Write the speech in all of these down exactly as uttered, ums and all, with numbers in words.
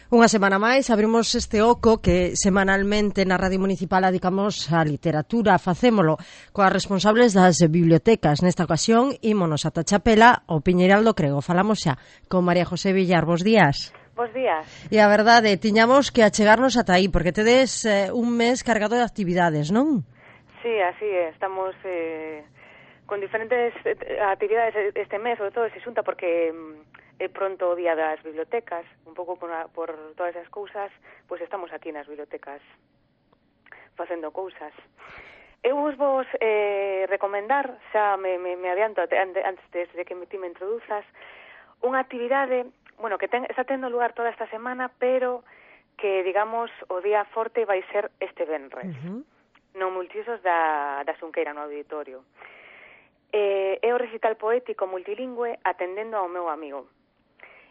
Unha semana máis abrimos este oco que semanalmente na Radio Municipal dedicamos á literatura. Facémolo coas responsables das bibliotecas. Nesta ocasión, ímonos ata Chapela, ao Piñeiral do Crego. Falamos xa con María José Villar. Bos días. Bos días. E a verdade, tiñamos que achegarnos ata aí, porque tedes eh, un mes cargado de actividades, non? Sí, así é. Estamos eh, con diferentes eh, actividades este mes, sobre todo se xunta porque é pronto o día das bibliotecas, un pouco por, por todas esas cousas, pois estamos aquí nas bibliotecas facendo cousas. Eu vos vos eh, recomendar, xa me, me, me adianto antes de que ti me introduzas, unha actividade, bueno, que ten, está tendo lugar toda esta semana, pero que, digamos, o día forte vai ser este venres, uh-huh. no Multiusos da, da Xunqueira, no auditorio. Eh, é o recital poético multilingüe Atendendo ao meu amigo.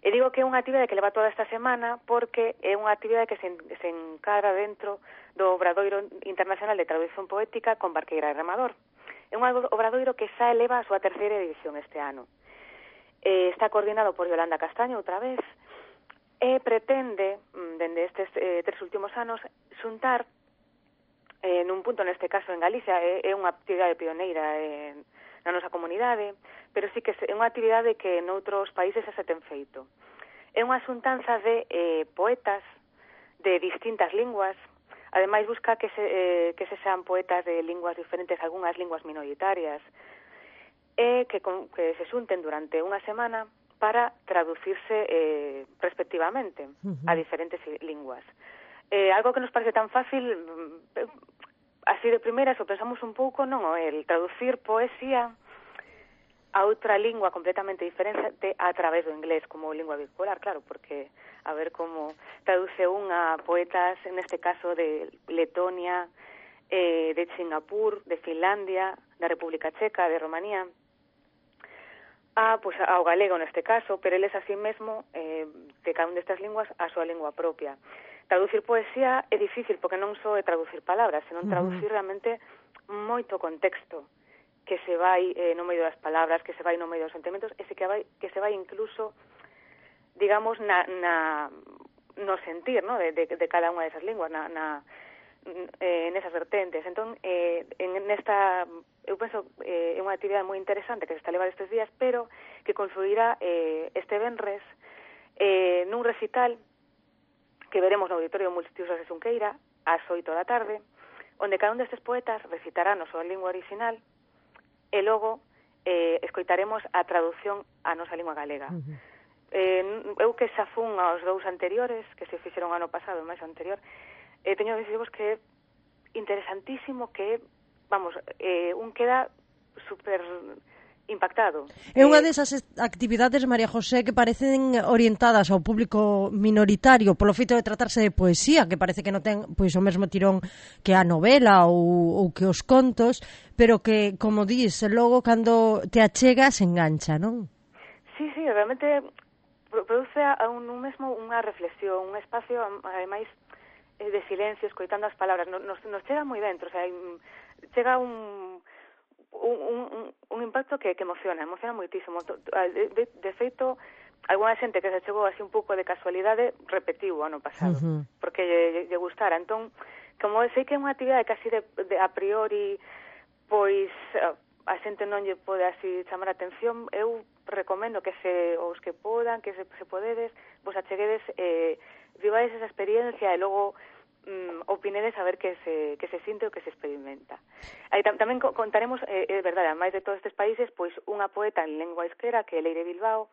E digo que é unha actividade que leva toda esta semana porque é unha actividade que se, se encara dentro do Obradoiro Internacional de Traducción Poética con Barqueira e Remador. É un obradoiro que xa eleva a súa terceira edición este ano. Eh, está coordinado por Yolanda Castaño outra vez e pretende, dende estes eh, tres últimos anos, xuntar eh, nun punto, neste caso en Galicia, é, é unha actividade pioneira en na nosa comunidade, pero sí que é unha actividade que noutros países xa se ten feito. É unha xuntanza de eh, poetas de distintas linguas, ademais busca que se, eh, que se sean poetas de linguas diferentes, algunhas linguas minoritarias, e que, con, que se xunten durante unha semana para traducirse eh, respectivamente uh-huh. a diferentes linguas. Eh, algo que nos parece tan fácil, eh, así de primeira, se pensamos un pouco, non o el traducir poesía a outra lingua completamente diferente a través do inglés como lingua vehicular, claro, porque a ver como traduce unha poetas, neste caso de Letonia, eh, de Singapur, de Finlandia, da República Checa, de Romanía, a, pues, ao galego neste caso, pero eles así mesmo, eh, de cada unha destas linguas, a súa lingua propia. Traducir poesía é difícil porque non só é traducir palabras, senón traducir uh-huh. realmente moito contexto que se vai eh, no medio das palabras, que se vai no medio dos sentimentos, e se que, vai, que se vai incluso, digamos, na, na, no sentir, ¿no? de, de, de cada unha desas linguas, na, na, eh, nesas vertentes. Entón, eh, en nesta, eu penso, eh, é unha actividade moi interesante que se está a levar estes días, pero que confluirá eh, este venres eh, nun recital que veremos no Auditorio Multiusos de Xunqueira ás oito da tarde, onde cada un destes poetas recitará na súa lingua original e logo eh, escoitaremos a traducción á nosa lingua galega. Uh-huh. Eh, eu que xa fun aos dous anteriores, que se fixeron ano pasado e máis anterior, eh, teño que dicirvos que é interesantísimo, que, vamos, eh, un queda super impactado. É unha desas actividades, María José, que parecen orientadas ao público minoritario polo feito de tratarse de poesía, que parece que non ten pois o mesmo tirón que a novela ou, ou que os contos, pero que, como dis, logo cando te achegas engancha, non? Sí, sí, realmente produce a un, un mesmo unha reflexión, un espacio, ademais, de silencio, escoitando as palabras. Nos, nos chega moi dentro, o sea, chega un... Un, un, un impacto que, que emociona, emociona moitísimo. De, de, de feito, alguna xente que se chegou así un pouco de casualidade repetiu o ano pasado, uh-huh. porque lle, lle gustara. Entón, como sei que é unha actividade casi de, de a priori, pois a xente non lle pode así chamar a atención, eu recomendo que se, os que podan, que se, se podedes, vos acheguedes, eh, vivades esa experiencia e logo Mm, opinedes a ver que se, que se sinte o que se experimenta. Aí tam, tamén contaremos, é eh, eh, verdade, a máis de todos estes países, pois unha poeta en lengua euskera, que é Leire Bilbao,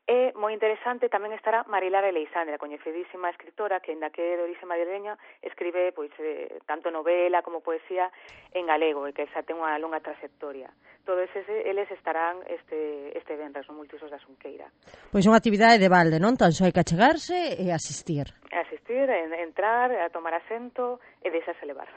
e moi interesante tamén estará Marilar Eleixandre, a coñecidísima escritora que, ainda que é de orixe madrileña, escribe pois eh, tanto novela como poesía en galego, e que xa ten unha longa trayectoria. Todos eses, eles estarán este, este venres no Multiusos da Xunqueira. Pois unha actividade de balde, non? Tan só hai que achegarse e asistir. Asistir, en, entrar, a tomar asento e deixarse levar.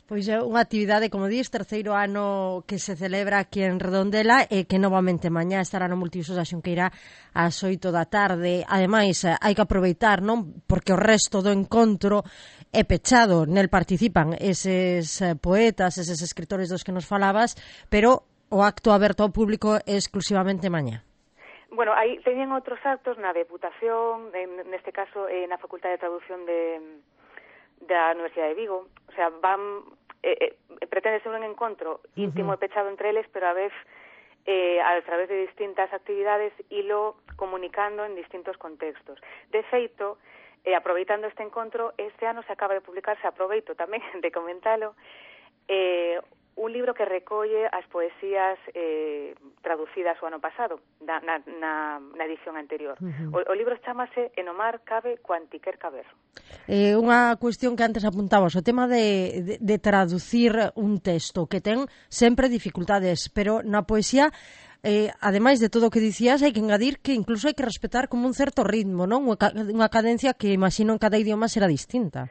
Pois é unha actividade, como dís, terceiro ano que se celebra aquí en Redondela e que novamente mañá estará no Multiusos da Xunqueira ás oito da tarde. Ademais, hai que aproveitar, non? Porque o resto do encontro é pechado, nel participan eses poetas, eses escritores dos que nos falabas, pero o acto aberto ao público é exclusivamente mañá. Bueno, aí teñen outros actos na Deputación, en, neste caso eh, na Facultade de Traducción de, da Universidade de Vigo. O sea, van eh, eh, pretende ser un encontro íntimo uh-huh. e pechado entre eles, pero a vez eh, a través de distintas actividades ilo comunicando en distintos contextos. De feito, eh, aproveitando este encontro, este ano se acaba de publicarse, aproveito tamén de comentalo, eh, un libro que recolle as poesías eh, traducidas o ano pasado, na, na, na, na edición anterior. Uh-huh. O, o libro chamase En o mar cabe cuantiquer caber. Eh, unha cuestión que antes apuntabas, o tema de, de, de traducir un texto, que ten sempre dificultades, pero na poesía, eh, ademais de todo o que dicías, hai que engadir que incluso hai que respetar como un certo ritmo, non? Unha cadencia que imagino en cada idioma será distinta.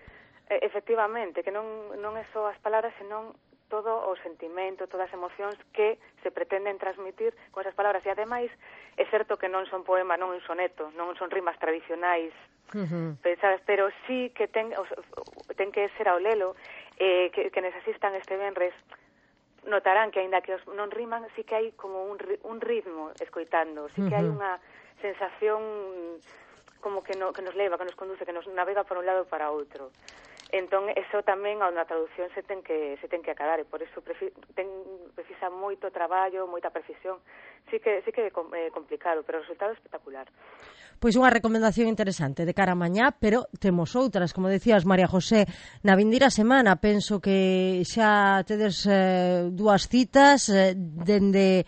Eh, efectivamente, que non, non é só as palabras, senón todo o sentimento, todas as emocións que se pretenden transmitir con esas palabras. E ademais, é certo que non son poema, non un soneto, non son rimas tradicionais, uh-huh. pensadas, pero sí que ten, ten que ser ao lelo, eh, que, que necesitan este venres, notarán que aínda que os non riman, sí que hai como un, un ritmo escoitando, sí que uh-huh. hai unha sensación como que, no, que nos leva, que nos conduce, que nos navega por un lado para outro. Entón, eso tamén a unha traducción se ten que se ten que acadar, e por iso prefi, ten, precisa moito traballo, moita precisión. Sí que sí que é eh, complicado, pero o resultado é espectacular. Pois unha recomendación interesante de cara a mañá, pero temos outras, como decías, María José, na vindeira semana. Penso que xa tedes eh, dúas citas eh, dende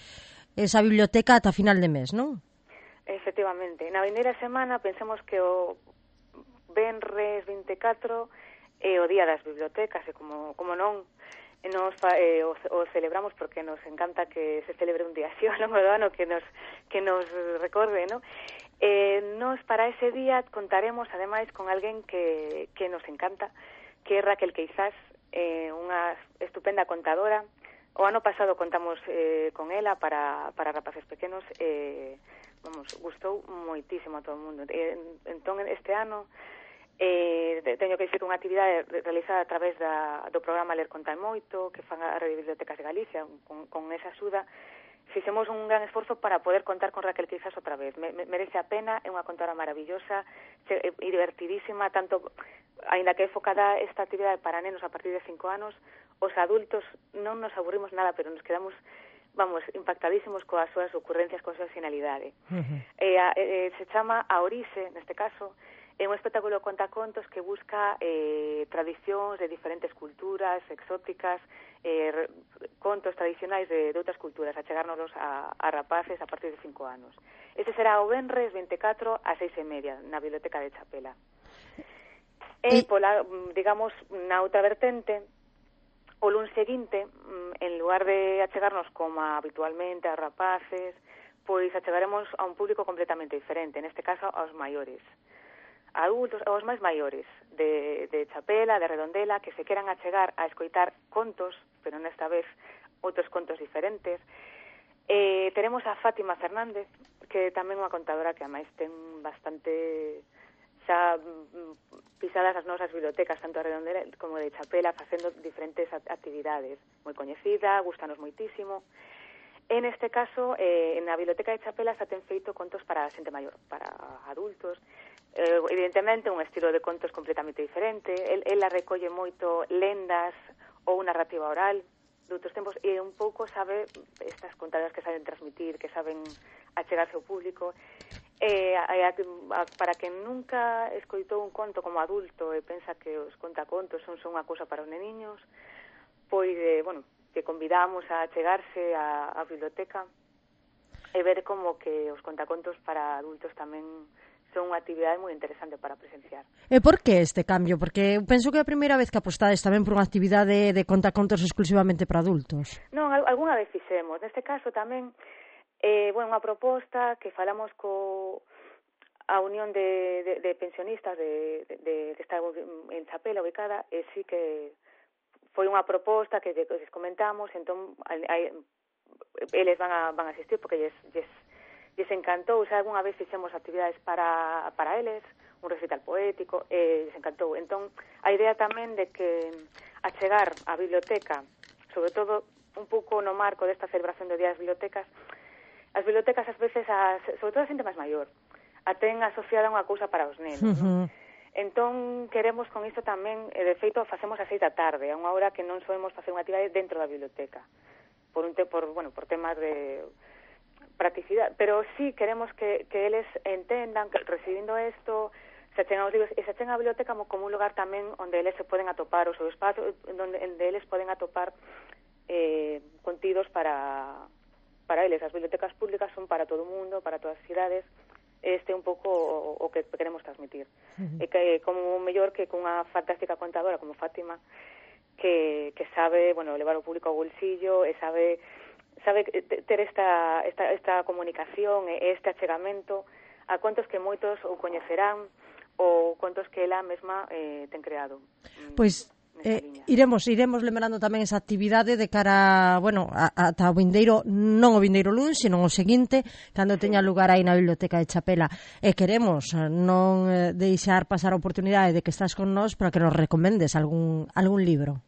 esa biblioteca ata final de mes, non? Efectivamente. Na vindeira semana pensemos que o venres vinte e catro é o Día das Bibliotecas, e como, como non nos eh, o, o celebramos porque nos encanta que se celebre un día así ao longo do ano que nos que nos recorde, ¿no? Eh, nos para ese día contaremos ademais con alguén que, que nos encanta, que é Raquel Queizás, eh, unha estupenda contadora. O ano pasado contamos eh, con ela para, para rapaces pequenos, eh, vamos, gustou moitísimo a todo o mundo. Eh, entón, este ano Eh, teño que dicir unha actividade realizada a través da, do programa Ler Conta Moito, que fan a Rede de Bibliotecas de Galicia, con, con esa axuda, fixemos un gran esforzo para poder contar con Raquel Queizás outra vez. Me, me, merece a pena, é unha contadora maravillosa e divertidísima, tanto, aínda que é focada esta actividade para nenos a partir de cinco anos, os adultos non nos aburrimos nada, pero nos quedamos, vamos, impactadísimos coas súas ocurrencias, coa súa finalidade. Uh-huh. eh, eh, se chama A Orixe, neste caso. É un espectáculo de contacontos que busca eh, tradicións de diferentes culturas exóticas, eh, contos tradicionais de, de outras culturas, a chegárnoslos a, a rapaces a partir de cinco anos. Ese será o venres vinte e catro a seis e media na Biblioteca de Chapela. E, pola, digamos, na outra vertente, o luns seguinte, en lugar de achegarnos como habitualmente a rapaces, pois achegaremos a un público completamente diferente, neste caso aos maiores. Adultos, aos máis maiores de, de Chapela, de Redondela, que se queran achegar a escoitar contos, pero nesta vez outros contos diferentes. Eh, teremos a Fátima Fernández, que tamén é unha contadora que ademais ten bastante xa pisadas as nosas bibliotecas, tanto de Redondela como de Chapela, facendo diferentes actividades. Moi coñecida, gustanos moitísimo. En este caso, eh, na Biblioteca de Chapela xa ten feito contos para xente maior, para adultos. Eh, evidentemente, un estilo de contos completamente diferente. El, ela recolle moito lendas ou narrativa oral de outros tempos e un pouco sabe estas contadoras que saben transmitir, que saben achegarse ao público. Eh, a, a, a, para quen nunca escoitou un conto como adulto e pensa que os contacontos son, son unha cousa para os neniños, pois, eh, bueno, que convidamos a achegarse á, á biblioteca e ver como que os contacontos para adultos tamén son unha actividade moi interesante para presenciar. E por que este cambio? Porque penso que é a primeira vez que apostades tamén por unha actividade de contacontos exclusivamente para adultos. Non, algunha vez fixemos. Neste caso tamén, eh, bueno, unha proposta que falamos co a Unión de, de, de Pensionistas de, de, de, de estar en Chapela ubicada, e sí que foi unha proposta que les comentamos, entón hai, eles van a, van a asistir porque lles, lles lles encantou, xa algunha vez fixemos actividades para, para eles, un recital poético, e lles encantou. Entón, a idea tamén de que achegar a biblioteca, sobre todo un pouco no marco desta celebración do Día das Bibliotecas, as bibliotecas ás veces, as, sobre todo a xente máis maior, a ten asociada unha cousa para os nenos, Uh-huh. non? Entón, queremos con isto tamén, e de feito, facemos a seis da tarde, a unha hora que non soemos facer unha actividade dentro da biblioteca, por un te, por, bueno, por temas de practicidade, pero sí queremos que, que eles entendan que recibindo isto, se achegan os libros, e se achegan a biblioteca como, como un lugar tamén onde eles se poden atopar o seu espacio, onde, onde eles poden atopar eh, contidos para, para eles. As bibliotecas públicas son para todo o mundo, para todas as cidades. Este é un pouco o, o que queremos transmitir. Uh-huh. E que como mellor que cunha fantástica contadora como Fátima, que, que sabe, bueno, levar o público ao bolsillo e sabe sabe ter esta, esta, esta comunicación e este achegamento a contos que moitos ou coñecerán ou contos que ela mesma eh, ten creado. Pois Eh, iremos iremos lembrando tamén esa actividade de cara, bueno, ata o vindeiro, non o vindeiro luns, senón o seguinte, cando teña lugar aí na Biblioteca de Chapela. E queremos non deixar pasar a oportunidade de que estás con nós para que nos recomendes algún algún libro.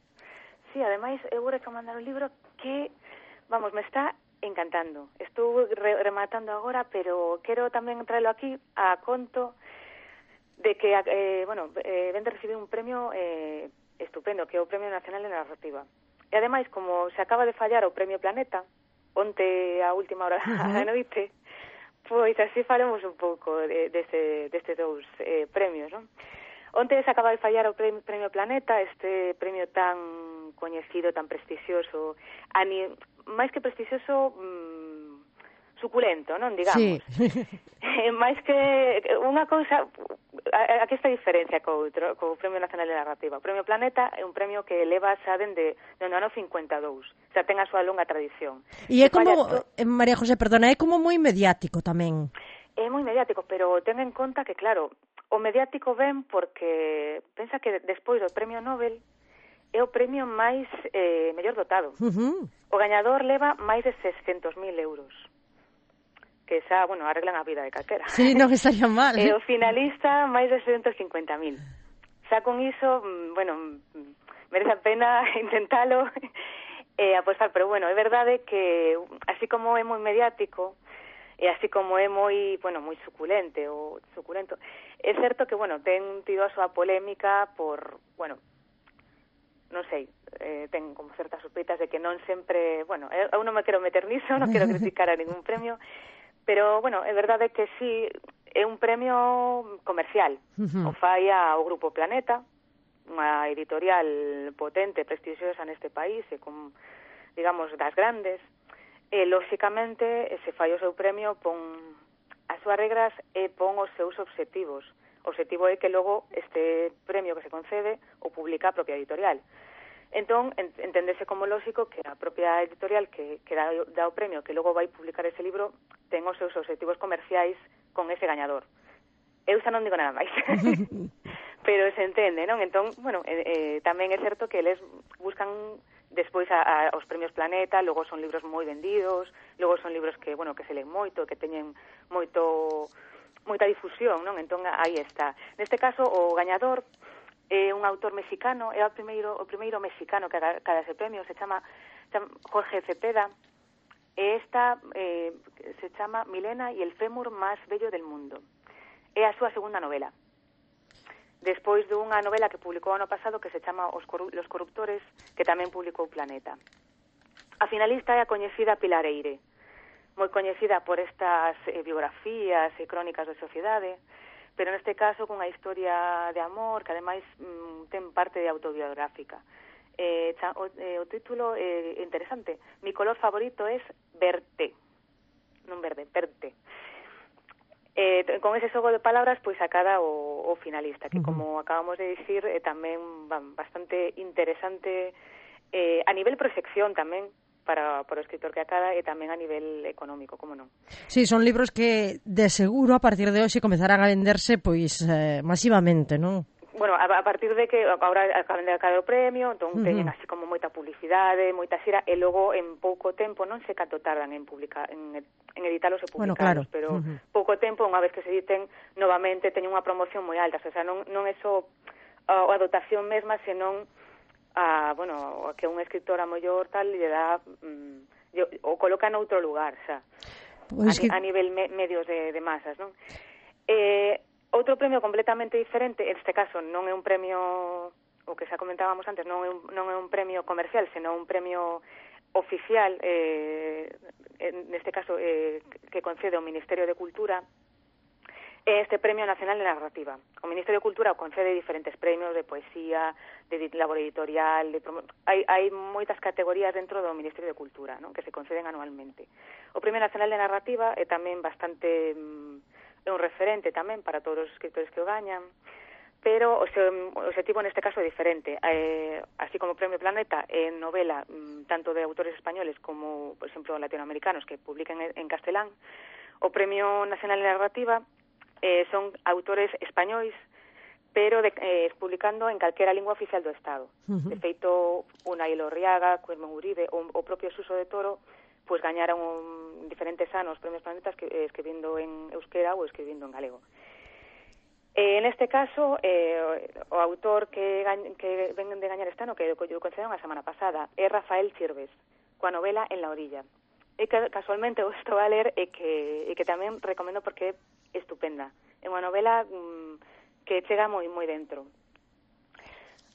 Sí, ademais, eu vou recomendar un libro que, vamos, me está encantando. Estou re rematando agora, pero quero tamén traelo aquí a conto de que, eh, bueno, eh, ven de recibir un premio eh, estupendo, que é o Premio Nacional de Narrativa. E ademais, como se acaba de fallar o Premio Planeta, onte a última hora da noite, pois así falemos un pouco de, deste, destes dous eh, premios, non? Onte se acaba de fallar o Premio, premio Planeta, este premio tan coñecido, tan prestixioso, ani, máis que prestixioso, mmm, suculento, non, digamos. Sí. Eh, máis que unha cousa, aquí está a diferencia co outro, co Premio Nacional de Narrativa. O Premio Planeta é un premio que leva xa dende o ano cincuenta e dous, xa ten a súa longa tradición. E é como, to... María José, perdona, é como moi mediático tamén. É moi mediático, pero ten en conta que, claro, o mediático ven porque pensa que despois do Premio Nobel é o premio máis eh, mellor dotado. Uh-huh. O gañador leva máis de seiscentos mil euros. Que xa, bueno, arreglan a vida de calquera. Sí, non estaría mal. E o finalista, máis de seiscentos cincuenta mil. Xa con iso, bueno, merece a pena intentalo e apostar, pero bueno, é verdade que así como é moi mediático e así como é moi, bueno, moi suculente ou suculento, é certo que, bueno, ten tido a súa polémica por, bueno, non sei, eh, ten como certas sospeitas de que non sempre, bueno, eu non me quero meter niso, non quero criticar a ningún premio, pero, bueno, é verdade que sí, é un premio comercial. Uh-huh. O fai ao Grupo Planeta, unha editorial potente, prestixiosa neste país, e con, digamos, das grandes. E, lóxicamente, se fai o seu premio, pon as súas regras e pon os seus obxectivos. O obxectivo é que logo este premio que se concede o publica a propia editorial. Entón, enténdese como lógico que a propia editorial que, que dá, dá o premio, que logo vai publicar ese libro, ten os seus obxectivos comerciais con ese gañador. Eu xa non digo nada máis. Pero se entende, non? Entón, bueno, eh, eh, tamén é certo que eles buscan despois a, a, os premios Planeta, logo son libros moi vendidos, logo son libros que, bueno, que se leen moito, que teñen moito moita difusión, non? Entón, aí está. Neste caso, o gañador é un autor mexicano, é o primeiro o primeiro mexicano que cada ese premio, se chama, chama Jorge Cepeda, e esta eh, se chama Milena y el fémur máis bello del mundo. É a súa segunda novela. Despois dunha novela que publicou ano pasado que se chama Os Corru- Los Corruptores, que tamén publicou Planeta. A finalista é a coñecida Pilar Eire, moi coñecida por estas eh, biografías e crónicas de sociedade, pero neste caso cunha historia de amor que ademais mm, ten parte de autobiográfica. Eh, cha, o, eh, o título é eh, interesante. Mi color favorito es verte. Non verde, verte. Eh, con ese xogo de palabras, pois acada o, o finalista, que como acabamos de dicir, é eh, tamén van, bastante interesante eh, a nivel proxección tamén, para, para o escritor que acada e tamén a nivel económico, como non. Sí, son libros que de seguro a partir de hoxe comezarán a venderse pois eh, masivamente, non? Bueno, a, a partir de que agora acaban de acabar o premio, entón uh-huh. teñen así como moita publicidade, moita xira, e logo en pouco tempo, non sei canto tardan en publicar, en, en editalos e publicalos, bueno, claro. pero uh-huh. pouco tempo, unha vez que se editen, novamente teñen unha promoción moi alta, o sea, non, non é só a, a dotación mesma, senón a, bueno, que un escritor a mellor tal lle dá mm, o coloca noutro lugar, xa. Pois a, que... a nivel me, medios de, de masas, non? Eh, outro premio completamente diferente, en este caso non é un premio, o que xa comentábamos antes, non é un, non é un premio comercial, senón un premio oficial, eh, neste caso eh, que concede o Ministerio de Cultura, este Premio Nacional de Narrativa. O Ministerio de Cultura concede diferentes premios de poesía, de labor editorial, de promo... hai, hai moitas categorías dentro do Ministerio de Cultura, non? Que se conceden anualmente. O Premio Nacional de Narrativa é tamén bastante é un referente tamén para todos os escritores que o gañan, pero o, seu, o objetivo neste caso é diferente. Eh, así como o Premio Planeta é novela tanto de autores españoles como, por exemplo, latinoamericanos que publiquen en castelán, o Premio Nacional de Narrativa Eh, son autores españois, pero de, eh, publicando en calquera lingua oficial do Estado. Uh-huh. De feito, Unai Elorriaga, Carmen Uribe, o, o propio Suso de Toro, pues gañaron un, diferentes anos premios Planetas que, eh, escribindo en euskera ou escribindo en galego. Eh, en este caso, eh, o autor que, gañ, que ven de gañar este ano, que o concederon a semana pasada, é Rafael Chirves, coa novela En la orilla. E que casualmente o estou a ler e que, e que tamén recomendo porque é estupenda. É unha novela mmm, que chega moi moi dentro.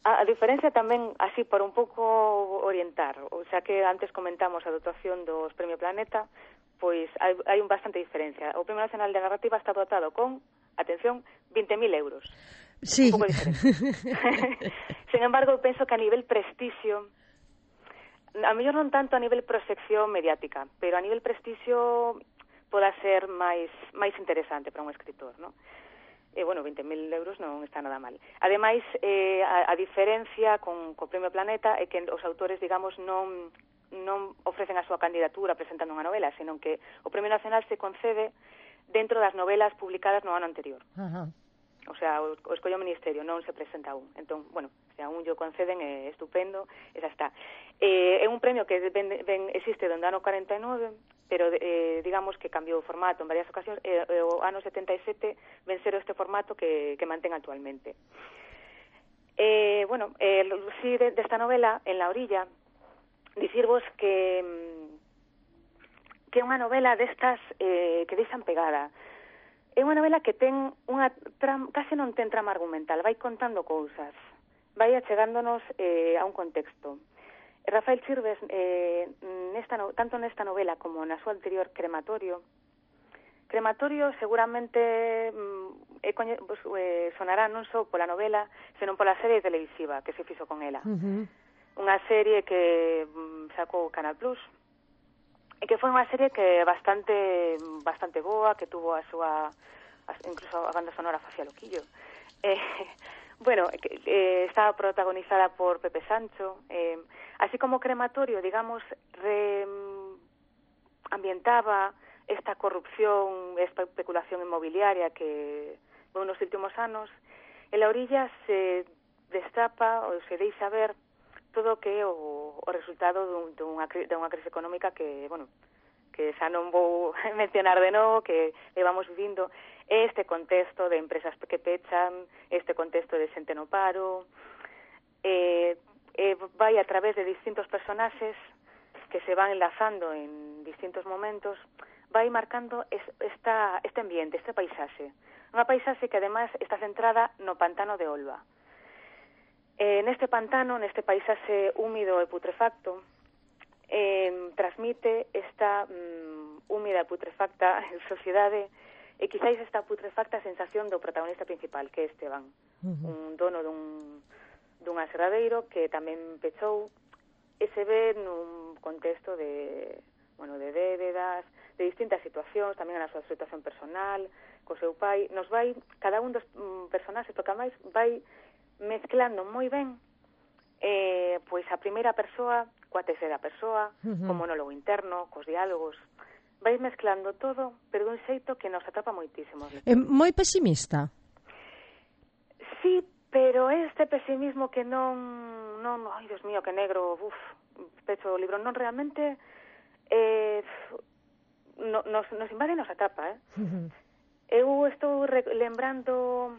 A, a diferencia tamén, así, por un pouco orientar, o sea que antes comentamos a dotación dos Premio Planeta, pois hai, hai un bastante diferencia. O Premio Nacional de Narrativa está dotado con, atención, veinte mil euros. Sí. Un pouco diferente. Sin embargo, penso que a nivel prestixio, a mellor non tanto a nivel proxección mediática, pero a nivel prestixio poda ser máis máis interesante para un escritor, non? E, bueno, veinte mil euros non está nada mal. Ademais, eh, a, a diferencia con o Premio Planeta é que os autores, digamos, non non ofrecen a súa candidatura presentando unha novela, senón que o Premio Nacional se concede dentro das novelas publicadas no ano anterior. Ajá. O sea, o, o escollo o Ministerio, non se presenta aún. Entón, bueno, se aún yo conceden é estupendo, esa está. Eh, é un premio que ben, ben existe dende o ano cuarenta e nove, pero eh, digamos que cambiou o formato en varias ocasións, e eh, o ano setenta e sete vencero este formato que, que mantén actualmente. Eh, bueno, eh, si de, desta novela, En la orilla, dicirvos que que é unha novela destas eh, que deixan pegada. É unha novela que ten unha trama, case non ten trama argumental, vai contando cousas, vai achegándonos eh, a un contexto. Rafael Chirves, eh, nesta no, tanto nesta novela como na súa anterior Crematorio, Crematorio seguramente mm, eh, coñe, pues, eh, sonará non só pola novela, senón pola serie televisiva que se fixo con ela. Uh-huh. Unha serie que mm, sacou Canal Plus, e que foi unha serie que bastante bastante boa, que tuvo a súa, incluso a banda sonora facía loquillo. Eh, bueno, que, eh, estaba protagonizada por Pepe Sancho, eh, así como Crematorio, digamos, re, ambientaba esta corrupción, esta especulación inmobiliaria que veu nos últimos anos. En la orilla se destapa ou se deixa ver todo o que é o, o resultado dun, dunha, dunha crise económica que, bueno, que xa non vou mencionar de novo, que levamos vivindo, este contexto de empresas que pechan, este contexto de xente no paro, eh, eh, vai a través de distintos personaxes que se van enlazando en distintos momentos, vai marcando es, esta, este ambiente, este paisaxe. Unha paisaxe que además está centrada no pantano de Olva. Eh, neste pantano, neste paisaxe húmido e putrefacto, eh, transmite esta um, húmida e putrefacta sociedade e quizáis esta putrefacta sensación do protagonista principal, que é Esteban, uh-huh. un dono dun, dun aserradeiro que tamén pechou e se ve nun contexto de, bueno, de débedas, de distintas situacións, tamén na súa situación personal, co seu pai. Nos vai, cada un dos um, personaxes, toca máis, vai mezclando moi ben eh, pois a primeira persoa coa terceira persoa, uh-huh. co monólogo interno, cos diálogos, vai mezclando todo, pero dun xeito que nos atrapa moitísimo. É moi pesimista? Sí, pero este pesimismo que non, non, ai, Dios mío, que negro, uf, pecho o libro, non realmente eh, no, nos, nos invade e nos atrapa, eh? Uh-huh. Eu estou re- lembrando...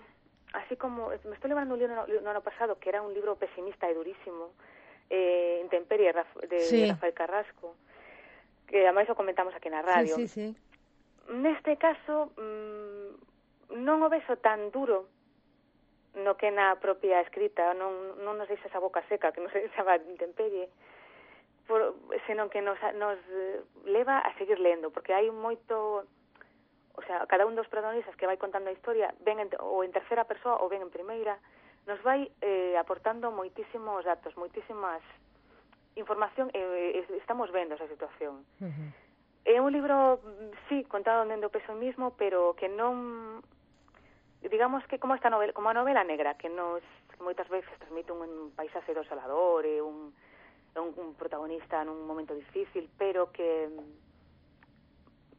Así como, me estoy lembrando un libro no, no ano pasado que era un libro pesimista e durísimo, eh, Intemperie, de sí. Rafael Carrasco, que ademais o comentamos aquí na radio. Sí, sí, sí. neste caso mm, non o vexo tan duro no que na propia escrita, non, non nos deixa esa boca seca, que nos deixa a intemperie, por, senón que nos, nos leva a seguir lendo, porque hai moito, o sea, cada un dos protagonistas que vai contando a historia, ven en, ou en terceira persoa ou ven en primeira, nos vai eh, aportando moitísimos datos, moitísimas información, e eh, estamos vendo esa situación. Uh-huh. É un libro, sí, contado dende o peso mismo, pero que non, digamos que como esta novela, como a novela negra, que nos que moitas veces transmite un paisaxe desolador e un, un, un protagonista nun momento difícil, pero que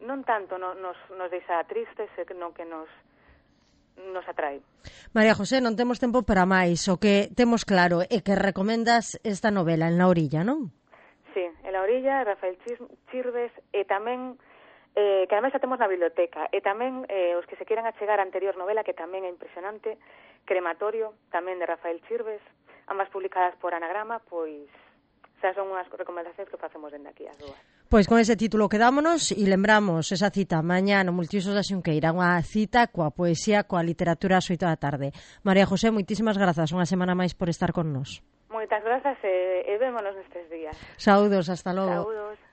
non tanto no, nos, nos deixa tristes, senón que nos nos atrae. María José, non temos tempo para máis. O que temos claro é que recomendas esta novela, En la orilla, non? Sí, En la orilla, Rafael Chirves, e tamén Eh, que ademais a temos na biblioteca, e tamén eh, os que se queran achegar a anterior novela, que tamén é impresionante, Crematorio, tamén de Rafael Chirves, ambas publicadas por Anagrama, pois xa son unhas recomendacións que facemos dende aquí as dúas. Pois con ese título quedámonos e lembramos esa cita mañá no Multiusos da Xunqueira, unha cita coa poesía, coa literatura ás oito da tarde. María José, moitísimas grazas unha semana máis por estar con nos. Moitas grazas e, e vémonos nestes días. Saúdos, hasta logo. Saúdos.